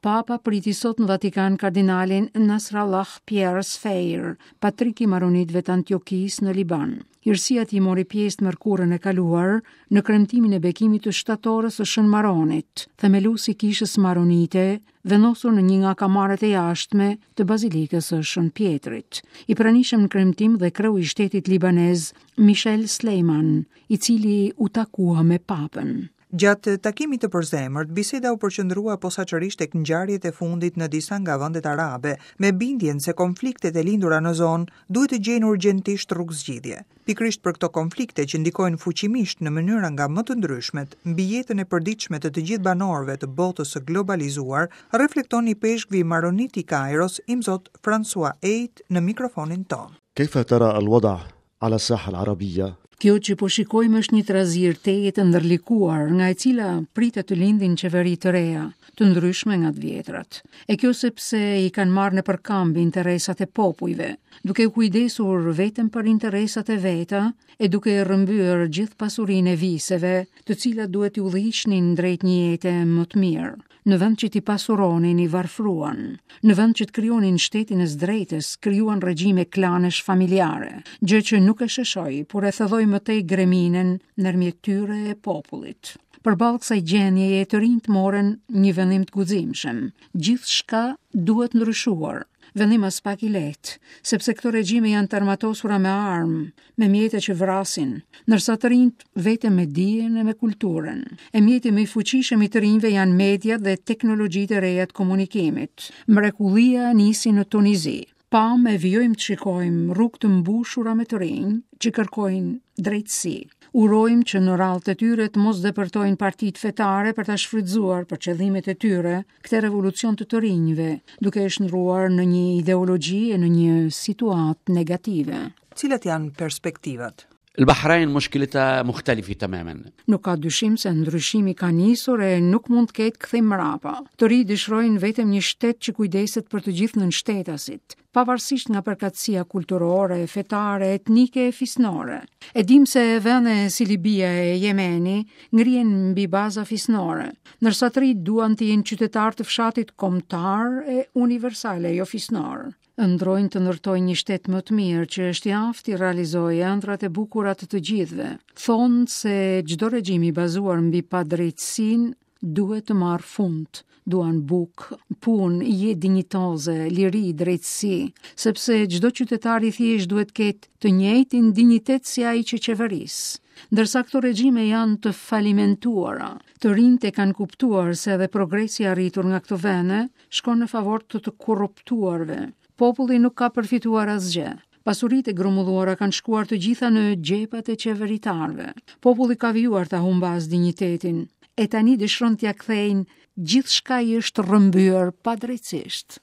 Papa priti sot në Vatikan kardinalin Nasrallah Pierre Sfeir, patrik i maronitëve të Antiokisë në Liban. Hirësia e tij mori pjesë të mërkurën e kaluar në kremtimin e bekimit të shtatores së Shën Maronit, themelues i kishës maronite, vendosur në një nga kamaret e jashtme të Bazilikës së Shën Pjetrit. I pranishëm në kremtim dhe kreu i shtetit libanez Michel Sleiman, i cili u takua me Papën. Gjatë takimit të përzemërt, biseda u përqendrua posaçërisht tek ngjarjet e fundit në disa nga vendet arabe, me bindjen se konfliktet e lindura në zonë duhet të gjejnë urgjentisht rrugëzgjidhje. Pikërisht për këto konflikte që ndikojnë fuqimisht në mënyra nga më të ndryshmet mbi jetën e përditshme të të gjithë banorëve të botës së globalizuar, reflekton ipeshkvi maronit i Kajros, Imzot François Eid në mikrofonin tonë. Kejfe tera al-wada ala saha al-arabia? Kjo që po shikojmë është një trazirë tejet e ndërlikuar, nga e cila pritet të lindin qeveri të reja, të ndryshme nga të vjetrat. E kjo sepse i kanë marrë nëpër këmbë interesat e popujve, duke u kujdesur vetëm për interesat e veta e duke e rrëmbyer gjithë pasurinë e viseve, të cilat duhet t'i udhëhiqnin drejt një jete më të mirë. Në vend që t'i pasuronin, i varfëruan. Në vend që të krijonin shtetin e së drejtës, krijuan regjime klanesh familjare, gjë që nuk e sheshoi, por e thelloi më tej greminën ndërmjet tyre e popullit. Përballë kësaj gjendjeje, të rinjtë morën një vendim të guximshëm. Gjithçka duhet ndryshuar. Vendim aspak i lehtë, sepse këto regjime janë të armatosura me armë, me mjete që vrasin, ndërsa të rinjtë vetëm me dijen e me kulturën. E mjeti më i fuqishëm i të rinjve janë mediat dhe teknologjitë e reja të komunikimit. Mrekullia nisi në Tunizi. Pamë e vijojmë të shikojmë rrugë të mbushura me të rinj që kërkojnë drejtësi. Urojmë që në radhët e tyre të mos depërtojnë partitë fetare për ta shfrytëzuar për qëllimet e tyre këtë revolucion të të rinjve, duke e shndërruar në një ideologji e në një situatë negative. Cilat janë perspektivat? البحرين مشكلتها مختلفة تماما. Nuk ka dyshim se ndryshimi ka nisur e nuk mund të ketë kthim mbrapa. Të rinjtë dëshirojnë vetëm një shtet që kujdeset për të gjithë nënshtetasit, pavarësisht nga përkatësia kulturore, fetare, etnike e fisnore. E dimë se vende si Libia e Jemeni ngrihen mbi baza fisnore, ndërsa të rinjtë duan të jenë qytetarë të fshatit kombëtar e universal e jo fisnor. Ëndërrojnë të ndërtojnë një shtet më të mirë që është i aftë t'i realizojë ëndrrat e bukura të të gjithëve. Thonë se çdo regjim i bazuar mbi padrejtësinë duhet të marrë fund. Duan bukë, punë, jetë dinjitoze, liri, drejtësi, sepse çdo qytetar i thjeshtë duhet të ketë të njëjtin dinjitet si ai që qeveris. Ndërsa këto regjime janë të falimentuara, të rinjtë e kanë kuptuar se edhe progresi i arritur nga këto vende shkon në favor të të korruptuarve. Populli nuk ka përfituar asgjë. Pasuritë e grumbulluara kanë shkuar të gjitha në xhepat e qeveritarëve. Populli ka vijuar ta humbasë dinjitetin e tani dëshiron t'ia kthejnë gjithçka i është rrëmbyer padrejtësisht.